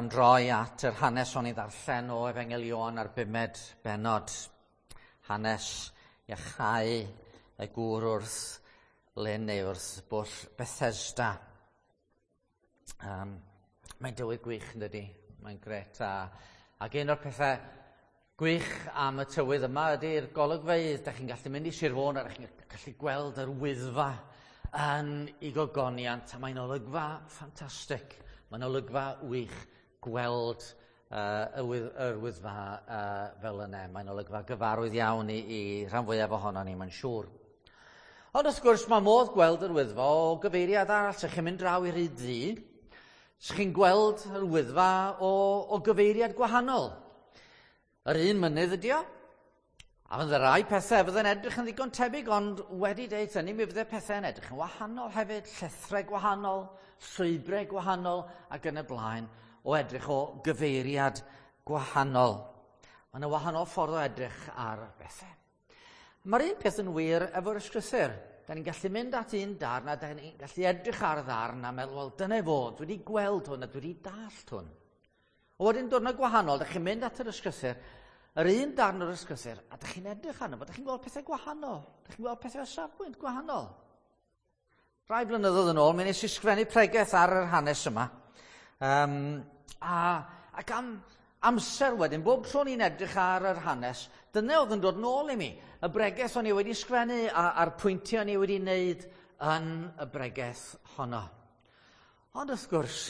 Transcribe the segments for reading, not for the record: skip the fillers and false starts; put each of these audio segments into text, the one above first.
Am droi at yr hanes o'n i ddarllen o Efengyl Ioan ar bumed bennod. Hanes iachau y gŵr wrth lyn neu wrth bwll Bethesda. Mae'n dywydd gwych yn dydi? Mae'n gret. Ac un o'r pethau gwych am y tywydd yma ydy'r golygfeydd. Da chi'n gallu mynd i Sir Fôn a da chi'n gallu gweld yr Wyddfa yn ei gogoniant, a mae'n olygfa ffantastig. Mae'n olygfa wych gweld yr Wyddfa fel yna. Mae'n olygfa gyfarwydd iawn i rhan fwyaf ohono ni, mae'n siŵr. Ond wrth gwrs, mae modd gweld yr Wyddfa o gyfeiriad arall. Sa chi'n mynd draw i'r Rhyd Ddu, sa chi'n gweld yr Wyddfa o gyfeiriad gwahanol. Yr un mynydd ydi o, a fydde rai pethau fydde'n edrych yn ddigon tebyg, ond wedi deud hynny, mi fydde pethau'n edrych yn wahanol hefyd, llethrau gwahanol, llwybrau gwahanol, ac yn y blaen, o edrych o gyfeiriad gwahanol. Mae yna wahanol ffordd o edrych ar bethau. Mae'r un peth yn wir efo'r ysgrythur. Da ni'n gallu mynd at un darn a da ni'n gallu edrych ar ddarn a meddwl, wel, dyna fo, dwi wedi gweld hwn a dwi wedi dallt hwn. A wedyn diwrnod gwahanol, da chi'n mynd at yr ysgrythur, yr un darn o'r ysgrythur, a da chi'n edrych arno fo, da chi'n gweld pethau gwahanol. Da chi'n gweld pethau o safbwynt gwahanol. Rai blynyddoedd yn ôl, mi nes i sgrifennu pregeth ar yr hanes yma. Ac am amser wedyn, bob tro ni'n edrych ar yr hanes, dyna oedd yn dod nôl i mi. Y bregeth o'n i wedi sgrifennu a'r pwyntiau o'n i wedi wneud yn y bregeth honno. Ond wrth gwrs,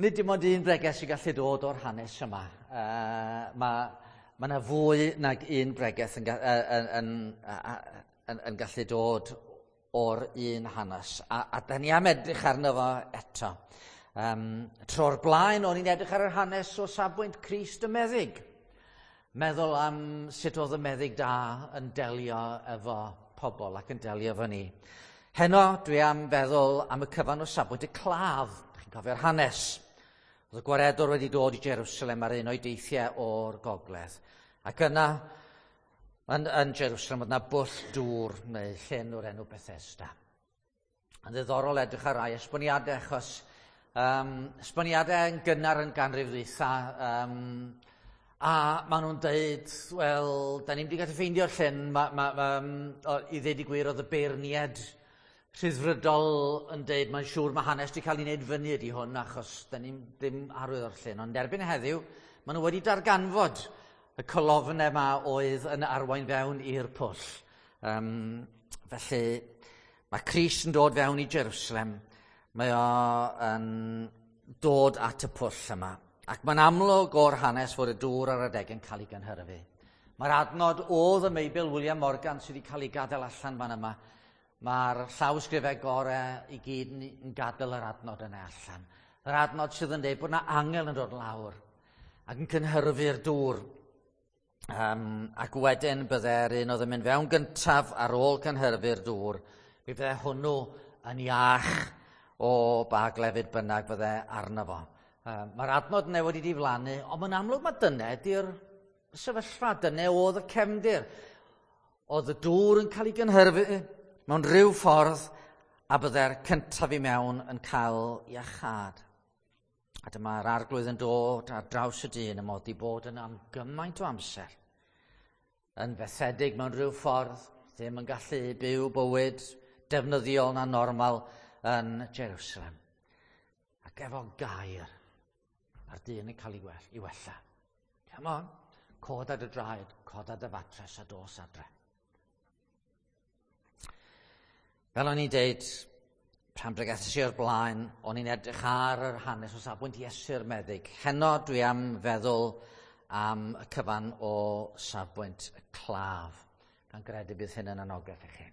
nid dim ond un bregeth sy'n gallu dod o'r hanes yma. Mae yna fwy nag un bregeth yn gallu dod o'r un hanes. A da ni am edrych arno fo eto. Tro'r blaen, o'n i'n edrych ar yr hanes o safbwynt Crist y meddyg. Meddwl am sut oedd y meddyg da yn delio efo pobl ac yn delio efo ni. Heno, dwi am feddwl am y cyfan o safbwynt y claf. Chi'n cofio'r hanes. Oedd y gwaredwr wedi dod i Jerusalem ar un o'i deithiau o'r gogledd. Ac yna, yn Jerusalem, oedd yna bwll dŵr neu llyn o'r enw Bethesda. Yn ddiddorol edrych ar rai esboniadau, achos esboniadau yn gynnar yn ganrif ddwytha, a maen nhw'n deud, wel, da ni'n wedi gallu ffeindio'r llyn, i ddeud y gwir, oedd y beirniad rhyddfrydol yn deud, mae'n siŵr mae hanes wedi cael ei wneud fyny ydi hwn, achos da ni'n ddim arwydd o'r llyn. Ond erbyn heddiw, maen nhw wedi darganfod y colofnau yma oedd yn arwain fewn i'r pwll. Felly, mae Crist yn dod fewn i Jerusalem. Mae o yn dod at y pwll yma. Ac mae'n amlwg o'r hanes fod y dŵr ar adeg yn cael ei gynhyrfu. Mae'r adnod oedd y Meibl William Morgan sydd wedi cael ei gadael allan fan yma. Mae'r llawysgrifau gorau i gyd yn gadael yr adnod yna allan. Yr adnod sydd yn dweud bod yna angel yn dod lawr ac yn cynhyrfu'r dŵr. Ac wedyn bydde'r un oedd yn mynd fewn gyntaf ar ôl cynhyrfu'r dŵr, mi fydde hwnnw yn iach o ba glefyd bynnag fydde arno fo. Mae'r adnod yna wedi diflannu, ond mae'n amlwg mae dyna ydy'r sefyllfa, dyna oedd y cefndir. Oedd y dŵr yn cael ei gynhyrfu mewn rhyw ffordd, a bydde'r cyntaf i mewn yn cael iachâd. A dyma'r arglwydd yn dod ar draws y dyn y mod i bod yn am gymaint o amser, yn fethedig mewn rhyw ffordd, ddim yn gallu byw bywyd defnyddiol na normal yn Jerusalem. Ac efo gair, a'r dyn yn cael ei wella. Come on, cod ar dy draed, cod ar dy fatres a dos adre. Fel o'n i'n deud, pan bregethais i o'r blaen, o'n i'n edrych ar yr hanes o safbwynt Iesu'r meddyg. Heno dwi am feddwl am y cyfan o safbwynt y claf, gan gredu bydd hyn yn anogaeth i chi.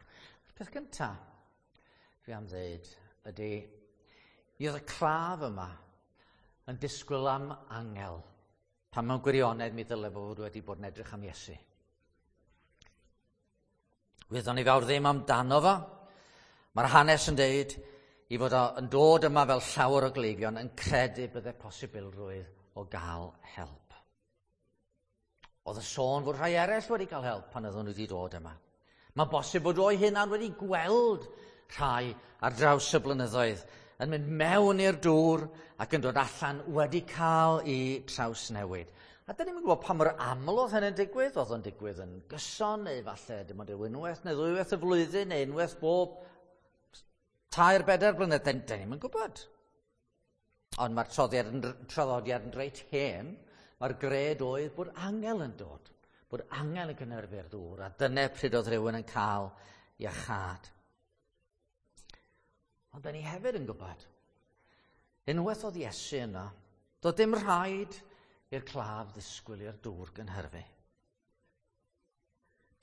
Y peth gyntaf dwi am ddeud ydy, mi oedd y claf yma yn disgwyl am angel, pan mewn gwirionedd mi ddyle fod wedi bod yn edrych am Iesu. Wyddon ni fawr ddim amdano fo. Mae'r hanes yn deud i fod o yn dod yma fel llawer o gleifion yn credu bydde posibilrwydd o gael help. Oedd y sôn fod rhai eraill wedi cael help pan oedden nhw wedi dod yma. Mae'n bosib bod o'i hunan wedi gweld rhai ar draws y blynyddoedd yn mynd mewn i'r dŵr ac yn dod allan wedi cael ei trawsnewid. A dyn ni'n gwybod pa mor aml oedd hynny'n digwydd. Oedd o'n digwydd yn gyson, neu falle dim ond unwaith neu ddwywaith y flwyddyn, neu unwaith bob 3-4 blynedd. Dyn ni'n gwybod. Ond mae'r traddodiad yn reit hen. Mae'r gred oedd bod angel yn dod, bod angel yn cynhyrfu'r dŵr, a dyna pryd oedd rhywun yn cael iachâd. Ond dyn ni hefyd yn gwybod, unwaith oedd Iesu yno, doedd dim rhaid i'r claf ddisgwyl i'r dŵr gynhyrfu.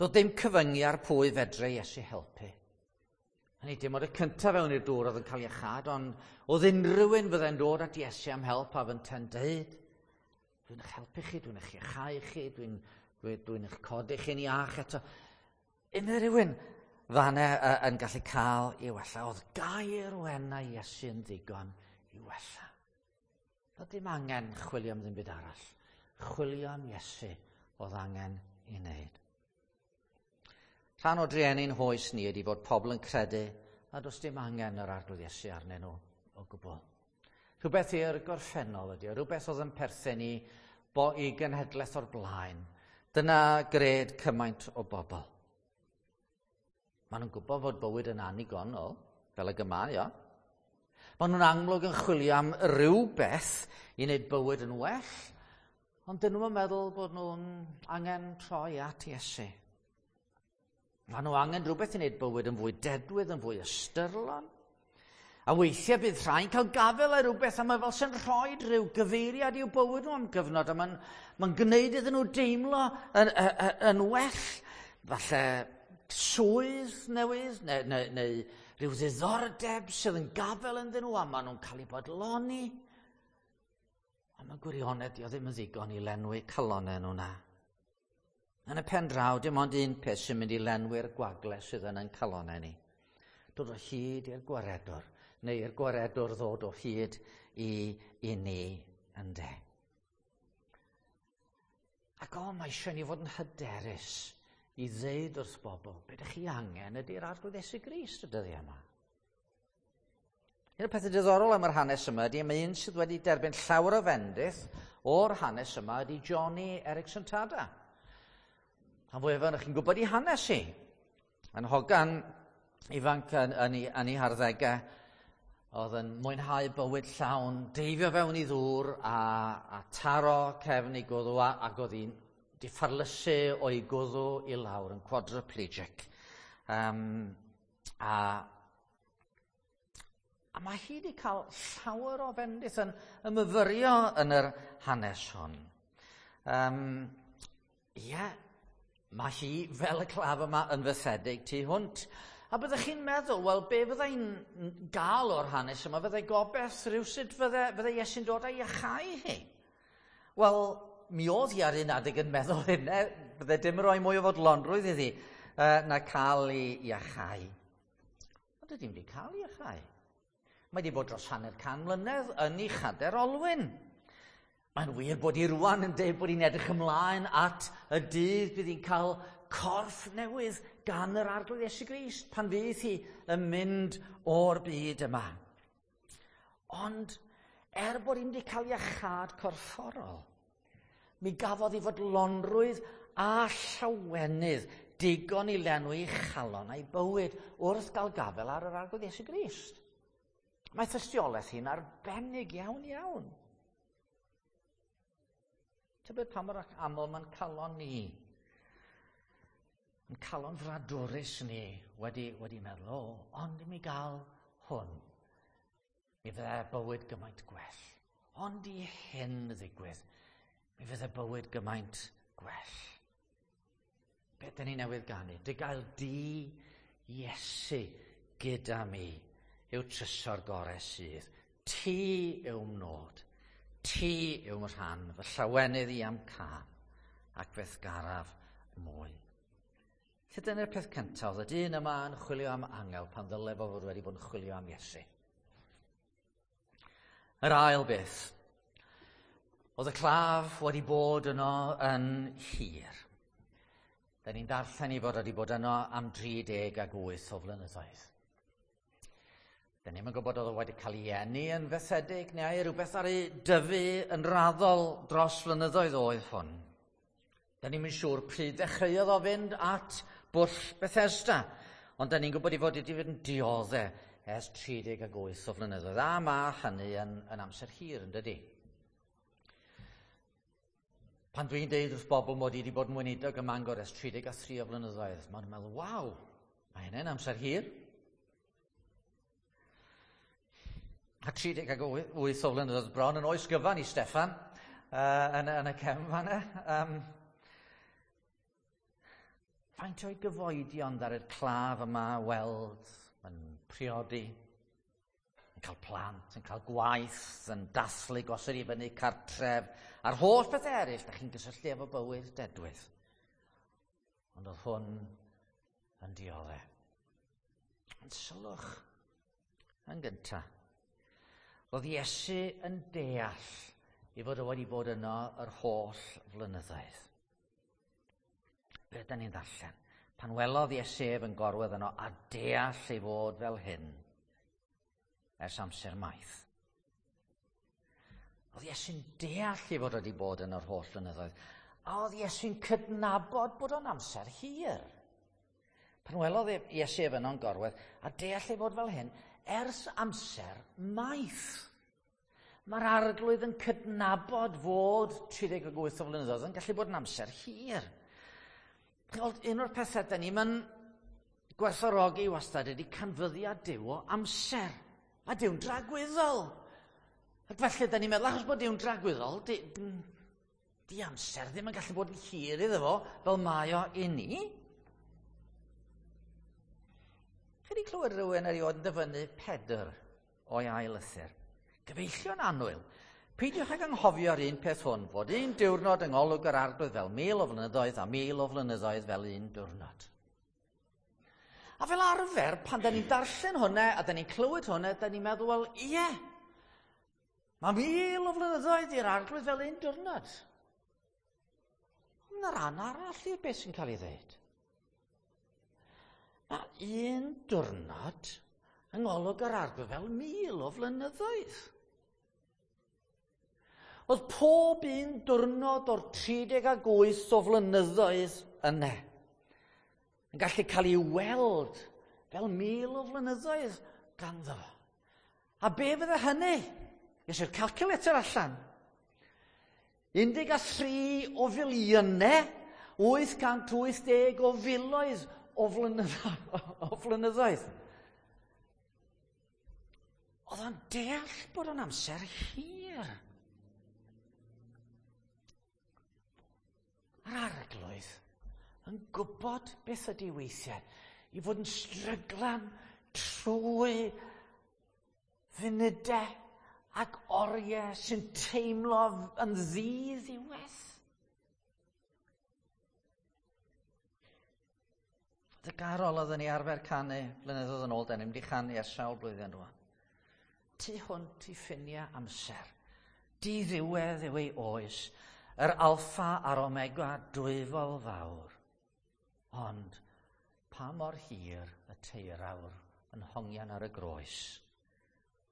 Doedd dim cyfyngu ar pwy fedre Iesu helpu. Hynny dim ond y cyntaf fewn i'r dŵr oedd yn cael iachâd, ond oedd unrhyw un fyddai'n dod at Iesu am help a fynte'n deud, dwi'n eich helpu chi, dwi'n eich iachau chi, dwi'n eich codi chi'n iach eto. Unrhyw un fanna yn gallu cael ei wella. Oedd gair o enau Iesu yn ddigon i wella. Doedd dim angen chwilio am ddim byd arall. Chwilio am Iesu oedd angen i wneud. Rhan o drueni'n hoes ni ydy fod pobl yn credu a does dim angen yr Arglwydd Iesu arnyn nhw o gwbl. Rhywbeth i'r gorffennol ydy, rhywbeth oedd yn perthyn i i genhedlaeth o'r blaen. Dyna gred cymaint o bobl. Maen nhw'n gwybod fod bywyd yn annigonol, fel y mae o. Maen nhw'n amlwg yn chwilio am rywbeth i wneud bywyd yn well, ond dyn nhw'n meddwl bod nhw'n angen troi at Iesu. Maen nhw angen rhywbeth i wneud bywyd yn fwy dedwydd, yn fwy ystyrlon. A weithiau bydd rhai'n cael gafael ar rhywbeth a mae fel sy'n rhoi rhyw gyfeiriad i'w bywyd nhw am gyfnod a mae'n gwneud iddyn nhw deimlo yn well. Falle swydd newydd neu rhyw ddiddordeb sydd yn gafael ynddyn nhw a maen nhw'n cael eu bodloni. Ond mae gwirionedd dio ddim yn ddigon i lenwi calonnau nhw na. Yn y pen draw, dim ond un peth sy'n mynd i lenwi'r gwagle sydd yn ein calonnau ni. Dod o hyd i'r gwaredwr, neu i'r gwaredwr ddod o hyd i ni ynde. Ac o, mae eisiau ni fod yn hyderus i ddeud wrth bobl, be ydych chi angen ydy'r Arglwydd Iesu Grist y dyddiau yma. Un o'r pethau diddorol am yr hanes yma ydy, mae un sydd wedi derbyn llawer o fendith o'r hanes yma ydy Joni Eareckson Tada. Rhan fwyaf ohonoch chi'n gwybod ei hanes hi. Yn hogan ifanc yn ei harddegau, oedd yn mwynhau bywyd llawn, deifio fewn i ddŵr a taro cefn ei gwddw ac oedd hi'n diffarlysu o'i gwddw i lawr yn quadriplegic. A mae hi wedi cael llawer o fendith yn ymyfyrio yn yr hanes hwn. Ie, mae hi fel y claf yma yn fythedig tu hwnt. A byddech chi'n meddwl, wel, be fyddai'n gael o'r hanes yma? Fyddai gobeith rhywsut fyddai Iesu'n dod a'i iachau hi? Wel, mi oedd hi ar un adeg yn meddwl hynny, byddai dim rhoi mwy o fodlonrwydd iddi na cael ei iachau. Ond ydy wedi cael ei iachau. Mae wedi bod dros 150 mlynedd yn ei chader olwyn. Mae'n wir bod hi rwan yn dweud bod hi'n edrych ymlaen at y dydd bydd hi'n cael corff newydd gan yr Arglwydd Iesu Grist pan fydd hi yn mynd o'r byd yma. Ond er bod hi'n wedi cael iachâd corfforol, mi gafodd hi fodlonrwydd a llawenydd digon i lenwi chalon a'i bywyd wrth gael gafael ar yr Arglwydd Iesu Grist. Mae tystiolaeth hi'n arbennig iawn iawn. Tybed pa mor aml mae'n calon ni, yn calon fradwrus ni wedi meddwl, o, ond i mi gael hwn, mi fydde bywyd gymaint gwell. Ond i hyn ddigwydd, mi fydde bywyd gymaint gwell. Be dyn ni newydd ganu? Dy gael di Iesu gyda mi yw trysor gorau sydd. Ti yw'm nod. Ti yw'm rhan, fy llawenydd i am cam, ac fe'th garaf mwy. Lle dyna'r peth cyntaf, oedd y dyn yma yn chwilio am angel pan ddyle fo fod wedi bod yn chwilio am Iesu. Yr ail beth, oedd y claf wedi bod yno yn hir. Da ni'n darllen i fod wedi bod yno am 38 o flynyddoedd. Da ni'm yn gwybod oedd o wedi cael ei eni yn fethedig neu ai rhywbeth ar ei dyfu yn raddol dros flynyddoedd oedd hwn. Da ni'm yn siŵr pryd ddechreuodd o fynd at bwll Bethesda, ond da ni'n gwybod ei fod wedi fynd yn diodde ers 38 o flynyddoedd, a mae hynny yn amser hir, yn dydi? Pan dwi'n deud wrth bobl mod i wedi bod yn weinidog ym Mangor ers 33 o flynyddoedd, maen nhw'n meddwl, waw, mae hynny'n amser hir. A 38 o flynyddoedd bron yn oes gyfan i Steffan yn y cefn fan'na. Faint o'i gyfoedion ddaru'r claf yma weld yn priodi, yn cael plant, yn cael gwaith, yn dathlu gosod i fyny cartref, a'r holl bethau eraill da chi'n gysylltu efo bywyd dedwydd. Ond oedd hwn yn diodde. Ond sylwch yn gyntaf, roedd Iesu yn deall ei fod o wedi bod yno yr holl flynyddoedd. Be ydyn ni'n ddarllen? Pan welodd Iesu ef yn gorwedd yno a deall ei fod fel hyn ers amser maith. Oedd Iesu'n deall ei fod wedi bod yn yr holl flynyddoedd, a oedd Iesu'n cydnabod bod o'n amser hir. Pan welodd Iesu ef yno'n gorwedd a deall ei fod fel hyn ers amser maith. Mae'r arglwydd yn cydnabod fod 38 o flynyddoedd yn gallu bod yn amser hir. Un o'r pethau da ni'n gwerthfawrogi wastad ydy canfyddiad Duw o amser. A Duw'n dragwyddol. Ac felly da ni'n meddwl, achos bod Duw'n dragwyddol, di amser ddim yn gallu bod yn hir iddo fo fel mae o i ni. Chi wedi clywed rhywun erioed yn dyfynnu Pedr o'i ail lythyr? Gyfeillion annwyl, peidiwch ag anghofio'r un peth hwn, fod un diwrnod yng ngolwg yr arglwydd fel 1000 o flynyddoedd a 1000 o flynyddoedd fel un diwrnod. A fel arfer, pan da ni'n darllen hwnna a da ni'n clywed hwnna, da ni'n meddwl, wel, ie, mae 1000 o flynyddoedd i'r arglwydd fel un diwrnod. Ond yna ran arall i'r beth sy'n cael ei ddweud. Mae un diwrnod yng ngolwg yr arglwydd fel 1000 o flynyddoedd. Oedd pob un diwrnod o'r 38 o flynyddoedd yna yn gallu cael ei weld fel 1000 o flynyddoedd ganddo fo. A be fydde hynny? Nes i'r calculator allan. 13 o filiynau, 880 o filoedd o flynyddoedd. Oedd o'n deall bod o'n amser hir. Yr arglwydd yn gwybod beth ydy weithiau i fod yn stryglan trwy funudau ac oriau sy'n teimlo yn ddi-ddiwedd. Y garol oedden ni arfer canu blynyddoedd yn ôl, da ni'n mynd i chanu ers sawl blwyddyn rwan. Tu hwnt i ffiniau amser, diddiwedd yw ei oes, yr alffa a'r omega dwyfol fawr. Ond pa mor hir y teirawr yn hongian ar y groes,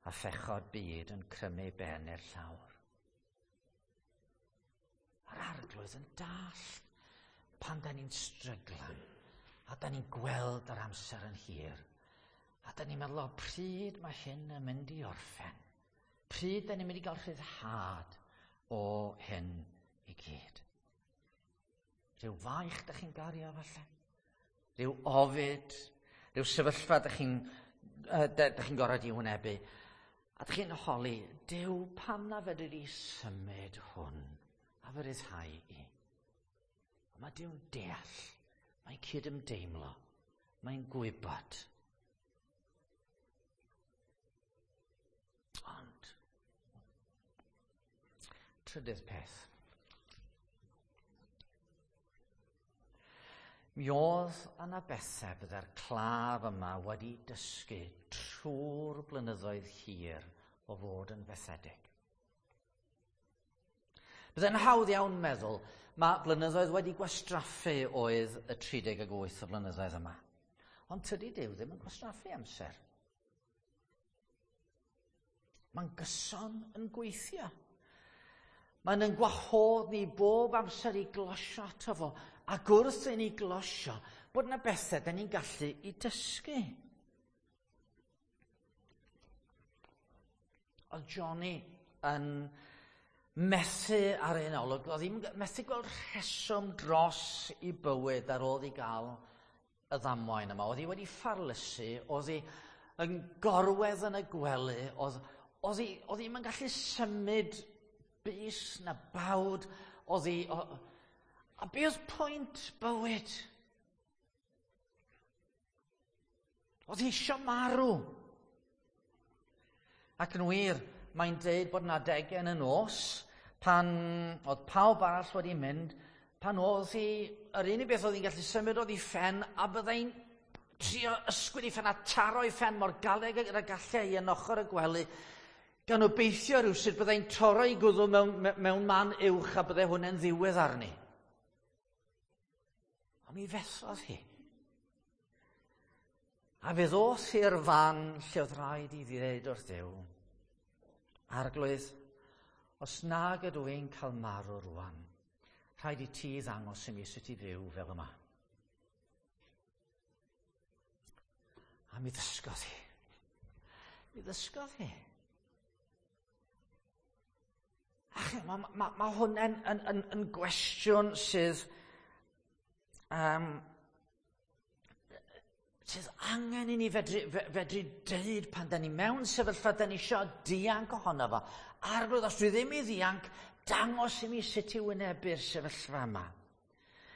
a phechod byd yn crymu ben i'r llawr. Yr arglwydd yn dall pan da ni'n stryglan, a da ni'n gweld yr amser yn hir, a da ni'n meddwl, o, pryd mae hyn yn mynd i orffen? Pryd da ni'n mynd i gael rhyddhad o hyn i gyd? Rhyw faich da chi'n gario falle? Rhyw ofid? Rhyw sefyllfa da chi'n gorfod i wynebu? A da chi'n holi, Duw, pam na fedri di symud hwn a fy ryddhau i? Ond mae Duw'n deall, mae'n cydymdeimlo, mae'n gwybod. Ond, trydydd peth. Mi oedd yna bethau bydde'r claf yma wedi dysgu trwy'r blynyddoedd hir o fod yn fethedig. Bydde'n hawdd iawn meddwl, mae blynyddoedd wedi gwastraffu oedd y 38 o flynyddoedd yma. Ond tydi Duw ddim yn gwastraffu amser. Mae'n gyson yn gweithio. Mae'n yn gwahodd ni bob amser i glosio ato fo, ac wrth i ni glosio, bod yna bethau da ni'n gallu i dysgu. Oedd Johnny yn methu ar un olwg, oedd hi'n methu gweld rheswm dros i bywyd ar ôl i gael y ddamwain yma. Oedd hi wedi ffarlysu, oedd hi yn gorwedd yn y gwely, oedd, oedd hi, oedd hi'm yn gallu symud bys na bawd, oedd hi... O, a be oedd pwynt bywyd? Oedd hi eisiau marw. Ac yn wir, mae'n deud bod yna adegau yn y nos, pan oedd pawb arall wedi mynd, pan oedd hi, yr unig beth oedd hi'n gallu symud oedd ei phen, a byddai'n trio ysgwyd ei phen a taro ei phen mor galed ag y gallai hi yn ochr y gwely, gan obeithio rhywsut byddai'n torro ei gwddw mewn, mewn man uwch a byddai hwnna'n ddiwedd arni. Ond mi fethodd hi. A fe ddoth i'r fan lle oedd rhaid i ddweud wrth Dduw, Arglwydd, os nag ydw i'n cael marw rwan, rhaid i ti ddangos i mi sut i fyw fel yma. A mi ddysgodd hi. Mi ddysgodd hi. Ach, mae ma, ma hwn yn, yn, yn, yn gwestiwn sydd, um, sydd angen i ni fedru, fedru deud pan da ni mewn sefyllfa da ni eisiau dianc ohono fo. Arglwydd, os dwi ddim i ddianc, dangos i mi sut i wynebu'r sefyllfa yma.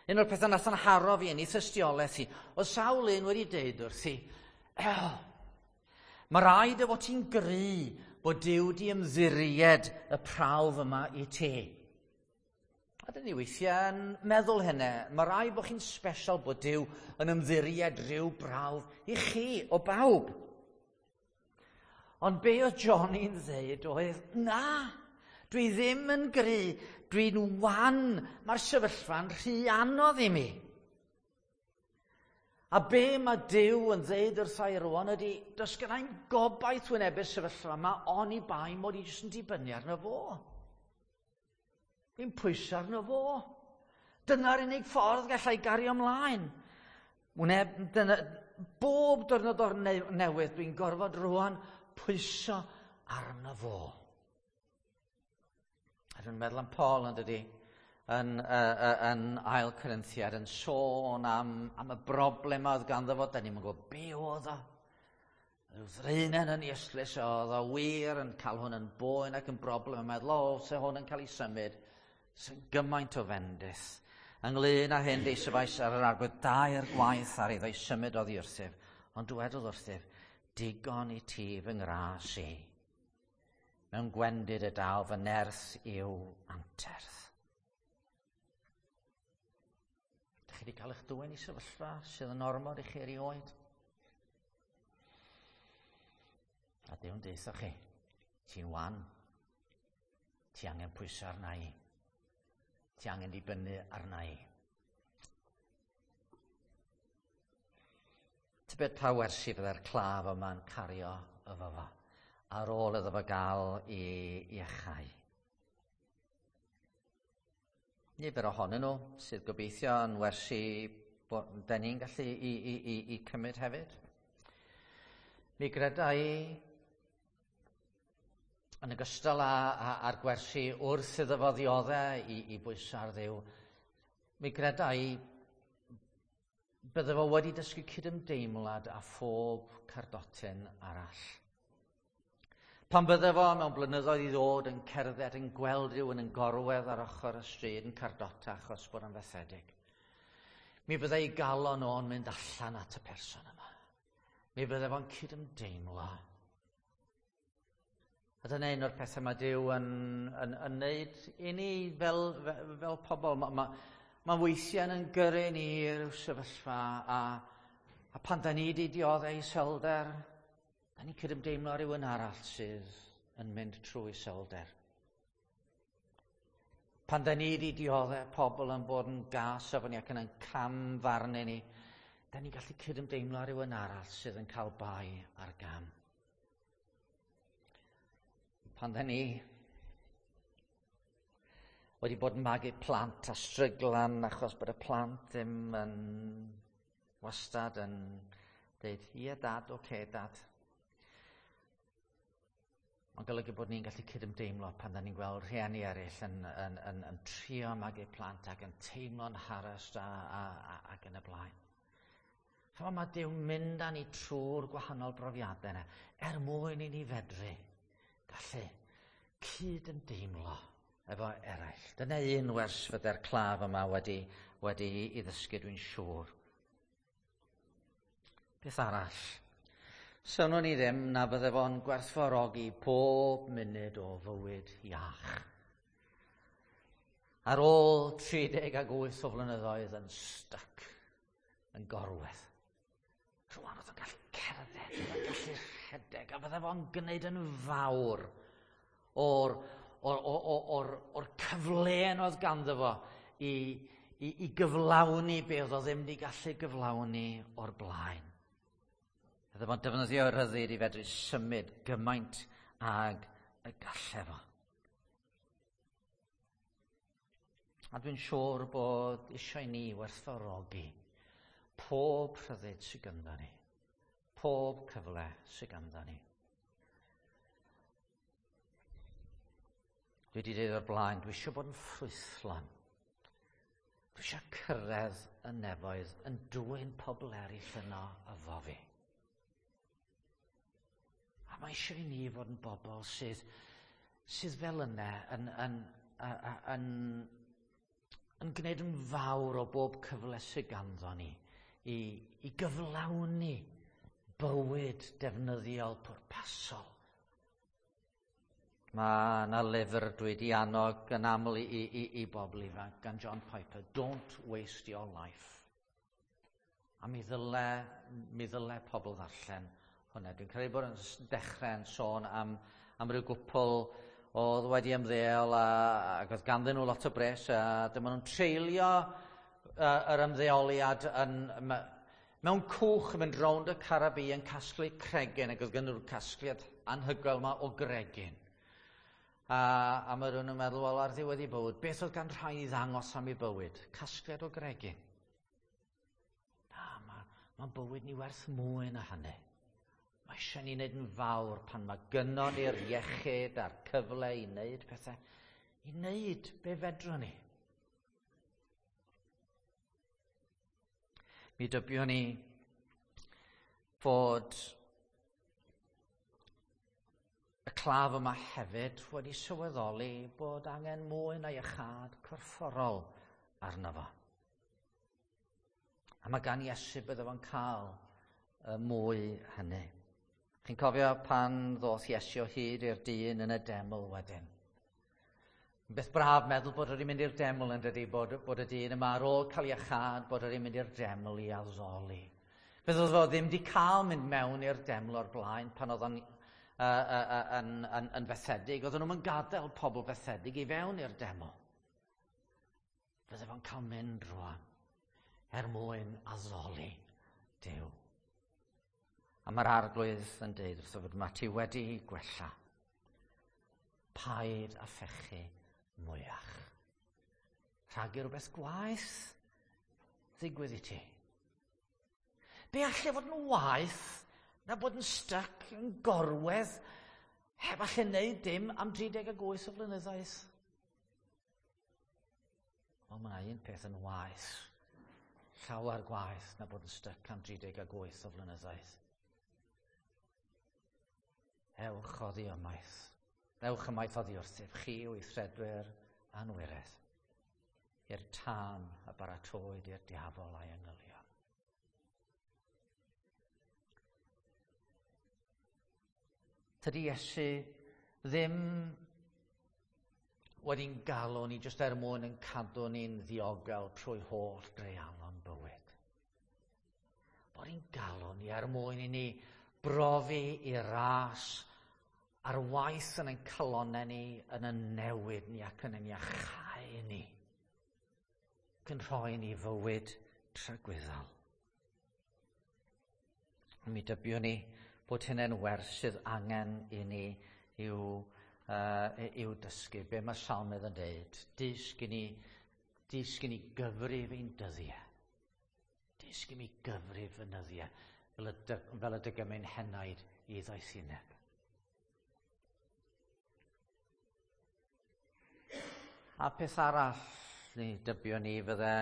Un o'r pethau nath yn haro fi yn ei thystiolaeth hi, oedd sawl un wedi deud wrthi, el, mae rhaid y fod ti'n gry bod Duw di ymddiried y prawf yma i ti. A dyn ni weithiau'n meddwl hynny. Mae rhaid bod chi'n special bod Duw yn ymddiried rhyw brawf i chi o bawb. Ond be oedd Johnny'n ddeud oedd, na, dwi ddim yn gry, dwi'n wan, mae'r sefyllfa'n rhy anodd i mi. A be mae Duw yn ddeud wrtha i rwan ydy, does gennai'm gobaith wynebu'r sefyllfa yma, oni bai mod i jyst yn dibynnu arno fo. Dwi'n pwyso arno fo. Dyna'r unig ffordd gallai gario ymlaen. Wyneb, dyna, bob diwrnod o'r newydd, dwi'n gorfod rwan pwyso arno fo. A dwi'n meddwl am Paul yn dydy, yn, uh, yn ail Corinthiad, yn sôn am, am y broblem oedd ganddo fo, da ni'n gwybod be oedd o. Rhyw ddraenen yn ei ystlys oedd o wir yn cael hwn yn boen ac yn broblem, yn meddwl, o, se hwn yn cael ei symud, sy'n gymaint o fendith. Ynglyn â hyn, deisyfais ar yr arglwydd dair gwaith ar iddo i symud oddi wrthyf, ond dywedodd wrthyf, digon i ti fy ngras i. Mewn gwendid y daw fy nerth i'w anterth. Dych chi wedi cael eich dwyn i sefyllfa sydd yn ormod i chi erioed? A Duw'n deutha chi, ti'n wan, ti angen pwyso arna i. Ti angen dibynnu arna i. Tybed pa wersi fydde'r claf yma'n cario efo fo ar ôl iddo fo gael i iachau. Nifer ohonyn nhw sydd gobeithio yn wersi bod da ni'n gallu i, i, i, i cymryd hefyd. Mi greda i yn ogystal â, â, â'r gwersi wrth iddo fo ddioddau i, i bwyso ar Dduw, mi greda i bydde fo wedi dysgu cydymdeimlad â phob cardotyn arall. Pan bydde fo mewn blynyddoedd i ddod yn cerdded yn gweld rhywun yn gorwedd ar ochr y stryd yn cardota achos bod yn fethedig, mi bydde ei galon o'n mynd allan at y person yma. Mi bydde fo'n cydymdeimlo. A dyna un o'r pethau mae Duw yn, yn, yn neud i ni fel, fel pobl. Mae ma, ma weithiau yn gyrru ni i ryw sefyllfa a, a pan da ni wedi dioddau iselder, da ni'n cydymdeimlo rhywun arall sydd yn mynd trwy iselder. Pan da ni wedi dioddau pobl yn bod yn gas efo ni ac yn camfarnu ni, da ni'n gallu cydymdeimlo rhywun arall sydd yn cael bai ar gam. Pan dda ni wedi bod yn magu plant a stryglan achos bod y plant ddim yn wastad yn dweud, "Ie Dad, oce okay, Dad." Mae'n golygu bod ni'n gallu cydymdeimlo pan da ni'n gweld rhieni eraill yn trio magu plant ac yn teimlo'n harassed ac yn y blaen. Chymod, mae Duw'n mynd â ni trwy'r gwahanol brofiadau yna er mwyn i ni fedru gallu cyd-ymdeimlo efo eraill. Dyna un wers fydde'r claf yma wedi i ddysgu, dwi'n siŵr. Beth arall? Synnwn ni ddim na bydde fo'n gwerthfawrogi pob munud o fywyd iach. Ar ôl 38 o flynyddoedd yn styc, yn gorwedd. Rwan oedd o'n gallu cerdded, oedd o'n gallu rhedeg, a fydde fo'n gwneud yn fawr o'r cyfleon oedd ganddo fo i gyflawni be oedd o ddim wedi gallu gyflawni o'r blaen. Bydde fo'n defnyddio rhyddid i fedru symud gymaint ag y galle fo. A dwi'n siŵr bod eisiau ni werthfawrogi pob rhyddid sydd ganddo ni, pob cyfle sydd ganddo ni. Dwi wedi dweud o'r blaen, dwi eisiau bod yn ffrwythlon. Dwi eisiau cyrraedd y nefoedd yn dwyn pobl eraill yno efo fi. A mae eisiau i ni fod yn bobl sydd fel yna yn gwneud yn fawr o bob cyfle sydd ganddo ni i gyflawni bywyd defnyddiol pwrpasol. Mae yna lyfr dwi wedi annog yn aml i bobl ifanc gan John Piper, "Don't Waste Your Life". A mi ddyle pobl ddarllen hwnna. Dwi'n credu bod yn dechrau yn sôn am ryw gwpl oedd wedi ymddeol ac oedd ganddyn nhw lot o bres a dyma nhw'n treulio yr ymddeoliad mewn cwch yn mynd rownd y Caribi yn casglu cregyn, ac oedd gen nhw'r casgliad anhygoel yma o gregyn. A mae rhywun yn meddwl, wel, ar ddiwedd ei bywyd, beth oedd gan rhai i ddangos am ei bywyd? Casgliad o gregyn. Na, mae bywyd ni werth mwy na hynny. Mae eisiau ni wneud yn fawr pan mae gynnon ni'r iechyd a'r cyfle i wneud pethau, i wneud be fedrwn ni. Mi dybiwn ni fod y claf yma hefyd wedi sylweddoli bod angen mwy na iachâd corfforol arno fo. A mae gan Iesu bydde fo'n cael y mwy hynny. Chi'n cofio pan ddoth Iesu o hyd i'r dyn yn y deml wedyn? Beth braf meddwl bod wedi mynd i'r deml, yn dydy, bod y dyn yma ar ôl cael iachâd, bod wedi mynd i'r deml i addoli. Beth oedd o ddim wedi cael mynd mewn i'r deml o'r blaen pan oedd o'n yn fethedig. Oedden nhw'n gadael pobl fethedig i fewn i'r deml. Fydde fo'n cael mynd rwan er mwyn addoli Duw. A mae'r Arglwydd yn dweud wrtho fod mae ti wedi gwella. Paid a phechu mwyach, rhag i rhywbeth gwaeth ddigwydd i ti. Be allai fod yn waeth na bod yn stuck yn gorwedd heb allu wneud dim am 38 o flynyddoedd? Wel, mae un peth yn waeth. Llawer gwaeth na bod yn stuck am 38 o flynyddoedd. Ewch oddi ymaith. Ewch ymaith oddi wrthyf, chi weithredwyr anwiredd, i'r tân a baratowyd i'r diafol a'i angylion. Tydi Iesu ddim wedi'n galw ni jyst er mwyn yn cadw ni'n ddiogel trwy holl dreialon bywyd. Bod ni'n galw ni er mwyn i ni brofi ei ras ar waith yn ein calonnau ni, yn y newid ni ac yn ein iachau ni. Ac yn rhoi ni fywyd tragwyddol. Mi dybiwn ni bod hynny'n wers sydd angen i ni i'w i'w dysgu, be mae Salmydd yn dweud. Dysg i ni, dysg i ni gyfrif ein dyddiau. Dysg i mi gyfrif fy nyddiau, fel y, fel y dygymyn henaid i ddoethineb. A peth arall ni dybio ni fydde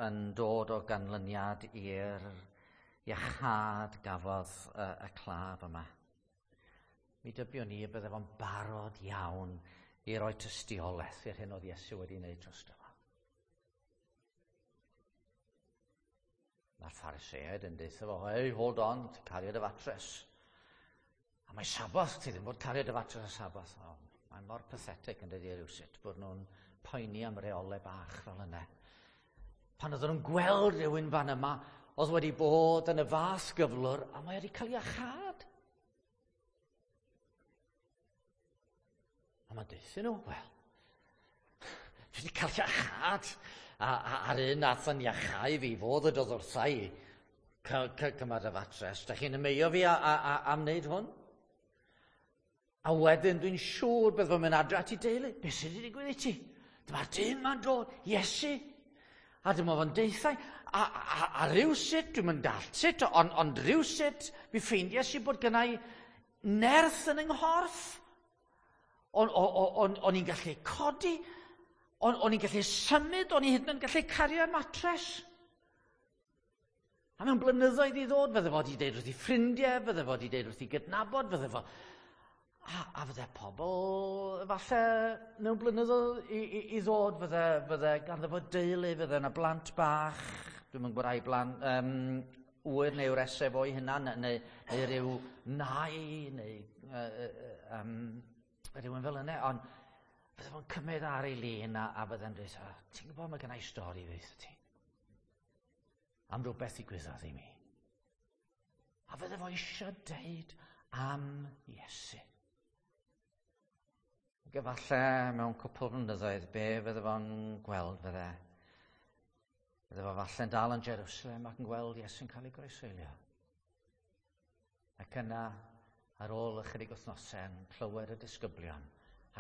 yn dod o ganlyniad i'r iachâd gafodd y, y claf yma. Mi dybio ni y bydde fo'n barod iawn i roi tystiolaeth i'r hyn oedd Iesu wedi wneud drosto fo. Mae'r Phariseaid yn deutha fo, hey, hold on, ti'n cario dy fatres. A mae Saboth, ti ddim bod cario dy fatres y Saboth. Oh, mae'n mor pathetic yn dydi rhywsut bod nhw'n poeni am reolau bach fel yna. Pan oedden nhw'n gweld rhywun fan yma, oedd wedi bod yn y fath gyflwr, a mae wedi cael ei achad. A mae'n deutha nhw, wel, dwi wedi cael iachad. A, a, a'r un nath yn iachau fi fod y dod wrtha i, cymryd y fatres. Da chi'n ymeio fi a, a, a, am wneud hwn? A wedyn dwi'n siŵr bydd fo'n mynd adre at ei deulu. Be sydd wedi digwydd i ti? Dyma'r dyn ma'n dod, Iesu. A dyma fo'n deithau. A, a, a rhywsut, dwi'n mynd dallt sut, ond on rhywsut, mi ffeindiais i bod gennau nerth yn yng nghorff. O'n, on, on, i'n gallu codi, o'n, on i'n gallu symud, o'n i hyd yn oed yn gallu cario'r matres. A mewn blynyddoedd i ddod, fydde fo wedi deud wrth i ffrindiau, fydde fo wedi deud wrth i gydnabod, fydde fo... A, a fydde pobl, falle, mewn blynyddoedd i, i, i ddod, fydde, fydde ganddo fo deulu, fydde yna blant bach, dwi'n mynd gwybod ai blant, um, ŵyr neu wresau fo'i hunan, neu, neu rhyw nai, neu uh, um, rhywun fel yna, ond fydde fo'n cymryd ar ei lun a, a fydde'n dweud, oh, ti'n gwybod mae gennau stori ddeutha ti? Am rhywbeth ddigwyddodd i mi. A fydde fo eisiau deud am Iesu. Ac efallai mewn cwpl flynyddoedd, be fydde fo'n gweld fydde? Fydde fo falle'n dal yn Jerusalem ac yn gweld Iesu'n cael ei groeshoelio. Ac yna, ar ôl ychydig wythnosau, yn clywed y disgyblion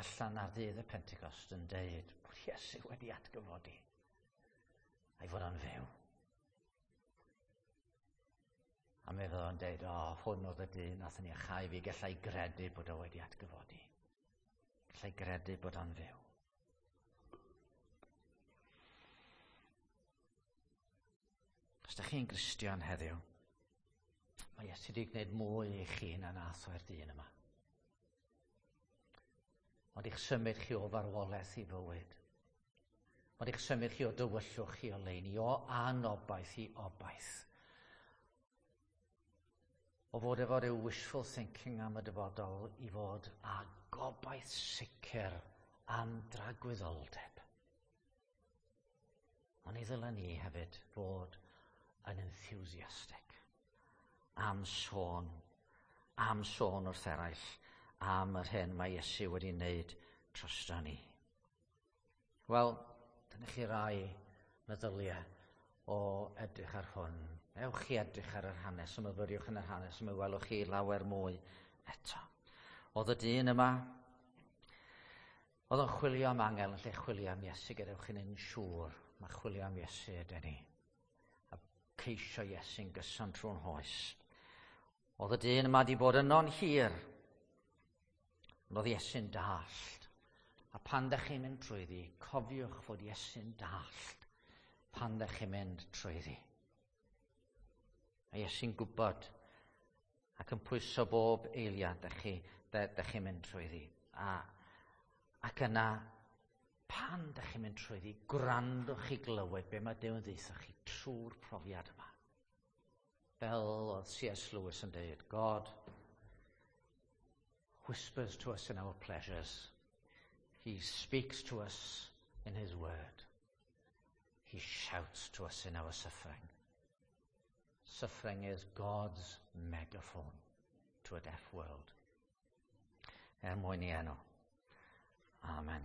allan ar ddydd y Pentecost yn deud bod Iesu wedi atgyfodi a'i fod o'n fyw. A mi fydd o'n deud, o, oh, hwn oedd y dyn nath ni achau fi, gallai gredu bod o wedi atgyfodi. Gallai gredu bod o'n fyw. Os da chi'n Gristion heddiw, mae Iesu wedi gwneud mwy i chi na nath o'r dyn yma. Ond i'ch symud chi o farwolaeth i fywyd. Ond i'ch symud chi o dywyllwch i oleuni, o anobaith i obaith. O fod efo rhyw wishful thinking am y dyfodol i fod â gobaith sicr am dragwyddoldeb. Ond i ddylen ni hefyd fod yn enthusiastic am sôn, am sôn wrth eraill am yr hyn mae Iesu wedi wneud drosto ni. Wel, dyna chi rai meddyliau o edrych ar hwn. Ewch chi edrych ar yr hanes, a myfyriwch yn yr hanes, a mi welwch chi lawer mwy eto. Oedd y dyn yma, oedd o'n chwilio am angel yn lle chwilio am Iesu, gadewch chi'n un siŵr, mae chwilio am Iesu ydyn ni. A ceisio Iesu'n gyson trwy'n hoes. Oedd y dyn yma wedi bod yno'n hir, ond oedd Iesu'n dallt. A pan ddech chi'n mynd trwyddi, cofiwch fod Iesu'n dallt pan ddech chi'n mynd trwyddi. Mae Iesu'n gwybod ac yn pwyso bob eiliad ddech chi, ddech chi'n mynd trwyddi. A, ac yna, pan ddech chi'n mynd trwyddi, gwrandwch chi glywed be mae Duw yn ddeutha chi trwy'r profiad yma. Fel oedd C.S. Lewis yn dweud, God whispers to us in our pleasures. He speaks to us in his word. He shouts to us in our suffering. Suffering is God's megaphone to a deaf world. Er mwyn i enw. Amen.